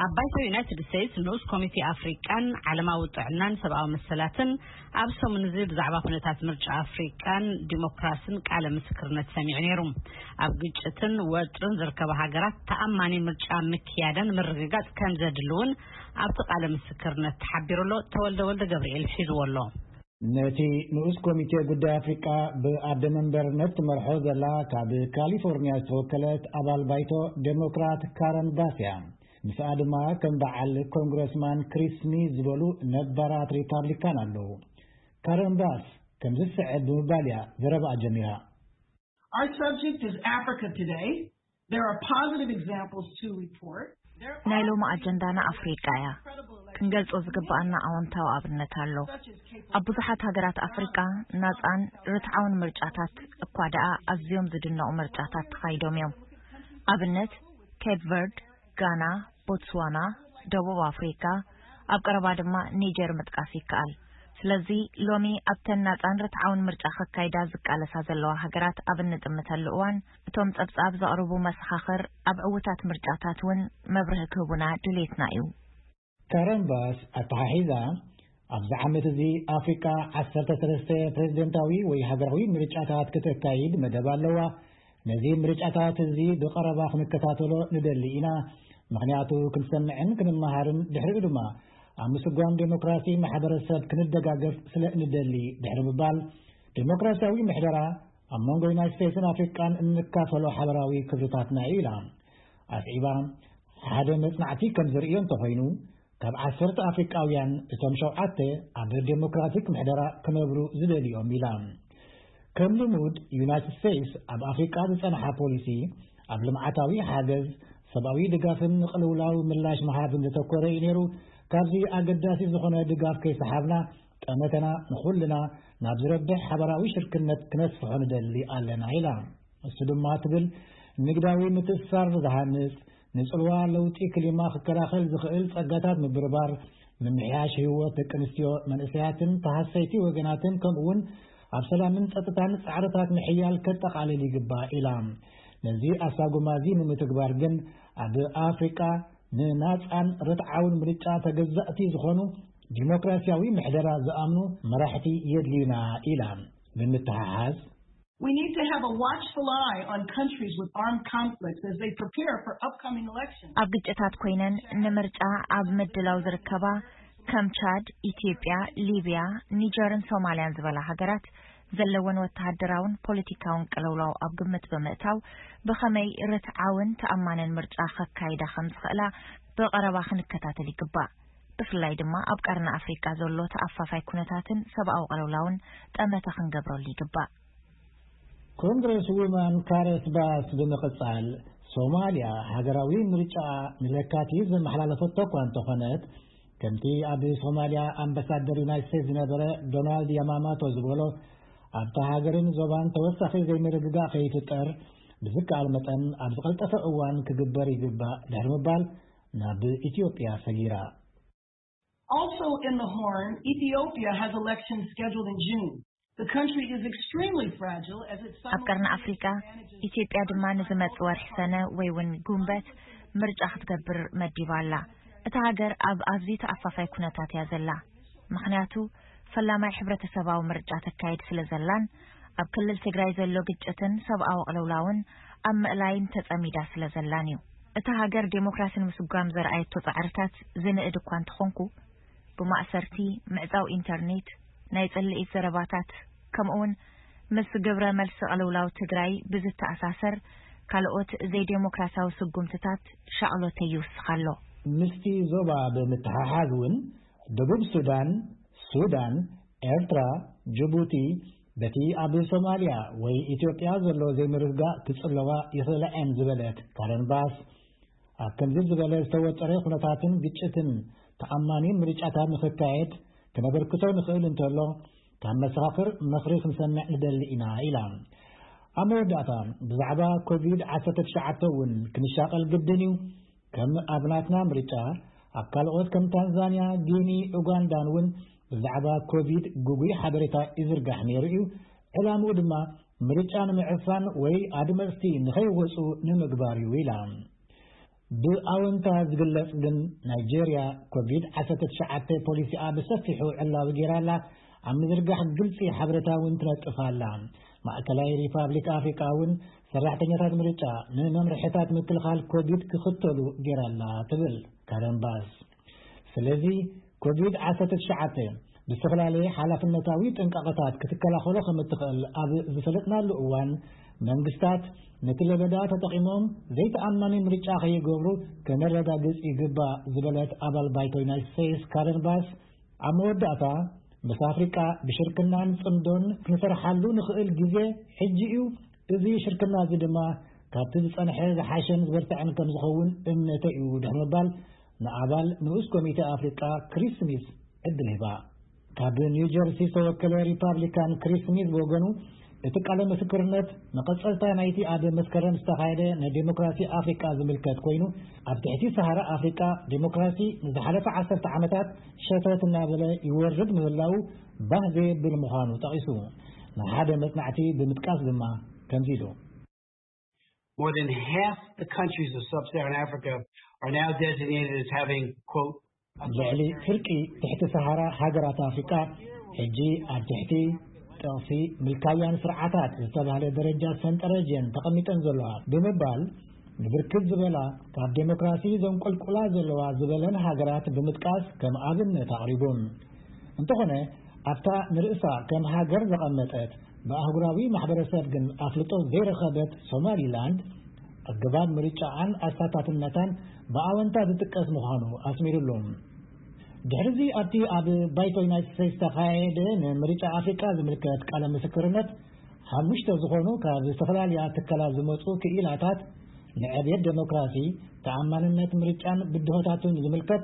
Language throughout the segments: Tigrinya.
ኣብ ባይቶ ዩናይትድ ስቴትስ ንኡስ ኮሚቴ ኣፍሪቃን ዓለማዊ ጥዕናን ሰብኣዊ መሰላትን ኣብ ሰሙን እዚ ብዛዕባ ኩነታት ምርጫ ኣፍሪቃን ዲሞክራስን ቃለ ምስክርነት ሰሚዑ ነይሩ። ኣብ ግጭትን ወጥርን ዝርከባ ሃገራት ተኣማኒ ምርጫ ምክያደን ምርግጋጽ ከም ዘድሊ እውን ኣብቲ ቃለ ምስክርነት ተሓቢሩ ኣሎ። ተወልደ ወልደ ገብርኤል ሒዝዎ ኣሎ። ነቲ ንኡስ ኮሚቴ ጉዳይ ኣፍሪቃ ብኣደ መንበርነት ትመርሖ ዘላ ካብ ካሊፎርኒያ ዝተወከለት ኣባል ባይቶ ዴሞክራት ካረን ባስ እያ። ምስኣ ድማ ከም በዓል ኮንግረስማን ክሪስ ስሚዝ ዝበሉ ነባራት ሪፓብሊካን ኣለዉ። ካረን ባስ ከምዚ ዝስዕብ ብምባል እያ ዘረባኣ ጀሚራ። Our subject is Africa today. There are positive examples to report. There are ናይ ሎሚ ኣጀንዳና ኣፍሪቃ እያ። ክንገልጾ ዝግባኣና ኣወንታዊ ኣብነት ኣሎ። ኣብ ብዙሓት ሃገራት ኣፍሪቃ ናጻን ርትዓውን ምርጫታት እኳ ደኣ ኣዝዮም ዝድነቑ ምርጫታት ተኻይዶም እዮም። ኣብነት ኬፕ ቨርድ፣ ጋና፣ ቦትስዋና፣ ደቡብ ኣፍሪካ፣ ኣብ ቀረባ ድማ ኒጀር ምጥቃስ ይከኣል። ስለዚ ሎሚ ኣብተን ናጻን ርትዓውን ምርጫ ከካይዳ ዝቃለሳ ዘለዋ ሃገራት ኣብ እንጥምተሉ እዋን እቶም ጸብጻብ ዘቕርቡ መሰኻኽር ኣብ ዕውታት ምርጫታት እውን መብርሂ ክህቡና ድሌትና እዩ። ካረን ባስ ኣተሓሒዛ ኣብዚ ዓመት እዚ ኣፍሪቃ ዓሰርተ ሰለስተ ፕሬዝደንታዊ ወይ ሃገራዊ ምርጫታት ክተካይድ መደብ ኣለዋ። ነዚ ምርጫታት እዚ ብቐረባ ክንከታተሎ ንደሊ ኢና። ምኽንያቱ ክንሰምዕን ክንመሃርን ድሕሪኡ ድማ ኣብ ምስጓም ዴሞክራሲ ማሕበረሰብ ክንደጋገፍ ስለ ንደሊ ድሕሪ ምባል ዴሞክራሲያዊ ምሕደራ ኣብ መንጎ ዩናይት ስቴትስን ኣፍሪቃን እንካፈሎ ሓበራዊ ክብርታትና እዩ ኢላ። ኣስዒባ ሓደ መጽናዕቲ ከም ዝርእዮ እንተኾይኑ ካብ ዓሰርተ ኣፍሪቃውያን እቶም ሸውዓተ ኣብ ዴሞክራቲክ ምሕደራ ክነብሩ ዝደልዮም ኢላ። ከም ልሙድ ዩናይትድ ስቴትስ ኣብ ኣፍሪቃ ዝጸንሓ ፖሊሲ ኣብ ልምዓታዊ ሓገዝ ሰብኣዊ ድጋፍን ንቅልውላው ምላሽ ምሃብን ዘተኮረ እዩ ነይሩ። ካብዚ ኣገዳሲ ዝኾነ ድጋፍ ከይሰሓብና ጠመተና ንኹልና ናብ ዝረብሕ ሓበራዊ ሽርክነት ክነስፍሖ ንደሊ ኣለና ኢላ። እሱ ድማ ትብል ንግዳዊ ምትእስሳር ዝሃንጽ ንጽልዋ ለውጢ ክሊማ ክከላኸል ዝኽእል ጸጋታት ምብርባር፣ ምምሕያሽ ህይወት ደቂ ኣንስትዮ፣ መንእሰያትን ተሃሰይቲ ወገናትን ከምኡውን ኣብ ሰላምን ጸጥታን ጻዕርታት ምሕያል ከጠቓልል ይግባእ ኢላ። ነዚ ኣሳጉማ እዚ ንምትግባር ግን ኣብ ኣፍሪቃ ንናጻን ርትዓውን ምርጫ ተገዛእቲ ዝኾኑ ዲሞክራሲያዊ ምሕደራ ዝኣምኑ መራሕቲ የድልዩና ኢላ። ብምትሓሓዝ We need to have a watchful eye on countries with armed conflicts as they prepare for upcoming elections. ኣብ ግጭታት ኮይነን ንምርጫ ኣብ ምድላው ዝርከባ ከም ቻድ፣ ኢትዮጵያ፣ ሊብያ፣ ኒጀርን ሶማልያን ዝበላ ሃገራት ዘለወን ወተሃደራውን ፖለቲካውን ቅልውላው ኣብ ግምት ብምእታው ብኸመይ ርትዓውን ተኣማንን ምርጫ ከካይዳ ከም ዝኽእላ ብቐረባ ክንከታተል ይግባእ። ብፍላይ ድማ ኣብ ቀርኒ ኣፍሪቃ ዘሎ ተኣፋፋይ ኩነታትን ሰብኣዊ ቅልውላውን ጠመተ ክንገብረሉ ይግባእ። ኮንግረስ ውማን ካረስ ባስ ብምቕጻል ሶማልያ ሃገራዊ ምርጫ ንለካቲት ዘመሓላለፈቶ እኳ እንተኾነት ከምቲ ኣብ ሶማልያ ኣምባሳደር ዩናይት ስቴትስ ዝነበረ ዶናልድ ያማማቶ ዝበሎ ኣብታ ሃገርን ዞባን ተወሳኺ ዘይምርግጋእ ከይፍጠር ብዝከኣል መጠን ኣብ ዝቐልጠፈ እዋን ክግበር ይግባእ ድሕሪ ምባል ናብ ኢትዮጵያ ሰጊራ። Also in the Horn, Ethiopia has elections scheduled in June. The country is extremely fragile as it ኣብ ቀርኒ ኣፍሪቃ ኢትዮጵያ ድማ ንዝመጽእ ወርሒ ሰነ ወይ እውን ጉንበት ምርጫ ክትገብር መዲባ ኣላ። እታ ሃገር ኣብ ኣዝዩ ተኣፋፋይ ኩነታት እያ ዘላ። ምኽንያቱ ፈላማይ ሕብረተሰባዊ ምርጫ ተካይድ ስለ ዘላን ኣብ ክልል ትግራይ ዘሎ ግጭትን ሰብኣዊ ቅልውላውን ኣብ ምእላይን ተጸሚዳ ስለ ዘላን እዩ። እታ ሃገር ዴሞክራሲ ንምስጓም ዘርኣየቶ ጻዕርታት ዝንእድ እኳ እንተኾንኩ ብማእሰርቲ፣ ምዕጻው ኢንተርኔት፣ ናይ ጽልኢት ዘረባታት ከምኡውን ምስ ግብረ መልሲ ቅልውላው ትግራይ ብዝተኣሳሰር ካልኦት ዘይዴሞክራሲያዊ ስጉምትታት ሻቕሎተይ ይውስኽ ኣሎ። ምስቲ ዞባ ብምትሓሓዝ እውን ደቡብ ሱዳን፣ ሱዳን፣ ኤርትራ፣ ጅቡቲ በቲ ኣብ ሶማልያ ወይ ኢትዮጵያ ዘሎ ዘይምርግጋእ ክጽለዋ ይኽእላ እየን ዝበለት ካረን ባስ ኣብ ከምዚ ዝበለ ዝተወጠረ ኩነታትን ግጭትን ተኣማኒ ምርጫታት ንኽካየድ ክነበርክቶ ንኽእል እንተሎ ካብ መሰኻኽር ምኽሪ ክንሰምዕ ንደሊ ኢና ኢላ። ኣብ መወዳእታ ብዛዕባ ኮቪድ ዓሰርተ ትሽዓተ እውን ክንሻቐል ግድን እዩ። ከም ኣብ ናትና ምርጫ ኣብ ካልኦት ከም ታንዛንያ፣ ጊኒ፣ ኡጋንዳን እውን ብዛዕባ ኮቪድ ግጉይ ሓበሬታ ይዝርጋሕ ነይሩ እዩ። ዕላምኡ ድማ ምርጫ ንምዕፋን ወይ ኣድመፅቲ ንኸይወፁ ንምግባር እዩ ኢላ። ብኣወንታ ዝግለጽ ግን፣ ናይጄርያ ኮቪድ ዓሰርተ ትሽዓተ ፖሊሲኣ ብሰፊሑ ዕላዊ ገይራ ኣላ። ኣብ ምዝርጋሕ ግልጺ ሓበሬታ እውን ትነጥፍ ኣላ። ማእከላይ ሪፓብሊክ ኣፍሪቃ እውን ሰራሕተኛታት ምርጫ ንመምርሕታት ምክልኻል ኮቪድ ክኽተሉ ገይራ ኣላ፣ ትብል ካረን ባስ። ስለዚ ኮቪድ ዓሰርተ ትሽዓተ ብዝተፈላለየ ሓላፍነታዊ ጥንቃቐታት ክትከላኸሎ ከም እትኽእል ኣብ ዝፈለጥናሉ እዋን፣ መንግስታት ነቲ ለበዳ ተጠቒሞም ዘይተኣማኒ ምርጫ ከይገብሩ ከነረጋግጽ ይግባእ ዝበለት ኣባል ባይቶ ዩናይትድ ስቴትስ ካረን ባስ፣ ኣብ መወዳእታ ምስ ኣፍሪቃ ብሽርክናን ጽምዶን ክንሰርሓሉ ንኽእል ግዜ ሕጂ እዩ። እዚ ሽርክና እዚ ድማ ካብቲ ዝጸንሐ ዝሓሸን ዝበርትዐን ከም ዝኸውን እምነተይ እዩ፣ ድሕሪ ምባል ንኣባል ንኡስ ኮሚቴ ኣፍሪቃ ክሪስ ስሚዝ ዕድል ሂባ። ካብ ኒው ጀርሲ ዝተወከለ ሪፓብሊካን ክሪስ ስሚዝ ብወገኑ፣ እቲ ቃለ ምስክርነት መቐጸልታ ናይቲ ኣብ መስከረም ዝተኻየደ ናይ ዴሞክራሲ ኣፍሪቃ ዝምልከት ኮይኑ፣ ኣብ ትሕቲ ሰሃራ ኣፍሪቃ ዴሞክራሲ ንዝሓለፈ ዓሰርተ ዓመታት ሸተት እናበለ ይወርድ ምህላው ባህ ዘየብል ምዃኑ ጠቒሱ፣ ንሓደ መጽናዕቲ ብምጥቃስ ድማ ከምዚ ኢሉ። More than half the countries of sub-Saharan Africa are now designated as having, quote, ልዕሊ ፍርቂ ትሕቲ ሰሃራ ሃገራት ኣፍሪቃ ሕጂ ኣብ ትሕቲ ጠቕሲ ምልካውያን ስርዓታት ዝተባህለ ደረጃ ሰንጠረዥ እየን ተቐሚጠን ዘለዋ ብምባል፣ ንብርክት ዝበላ ካብ ዴሞክራሲ ዘንቆልቁላ ዘለዋ ዝበለን ሃገራት ብምጥቃስ ከም ኣብነት ኣቕሪቡ። እንተኾነ፣ ኣብታ ንርእሳ ከም ሃገር ዘቐመጠት፣ ብኣህጉራዊ ማሕበረሰብ ግን ኣፍልጦ ዘይረኸበት ሶማሊላንድ፣ ኣገባብ ምርጫኣን ኣሳታፍነታን ብኣወንታ ዝጥቀስ ምዃኑ ኣስሚሩሉ። ድሕሪዚ ኣብቲ ኣብ ባይቶ ዩናይትድ ስቴትስ ዝተኻየደ ንምርጫ ኣፍሪቃ ዝምልከት ቃለ ምስክርነት፣ ሓሙሽተ ዝኾኑ ካብ ዝተፈላለያ ትካላት ዝመጹ ክኢላታት ንዕብየት ዴሞክራሲ፣ ተኣማንነት ምርጫን ብድሆታቱን ዝምልከት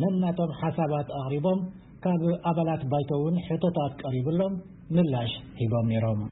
ነናቶም ሓሳባት ኣቕሪቦም፣ ካብ ኣባላት ባይቶ እውን ሕቶታት ቀሪብሎም ምላሽ ሂቦም ነይሮም።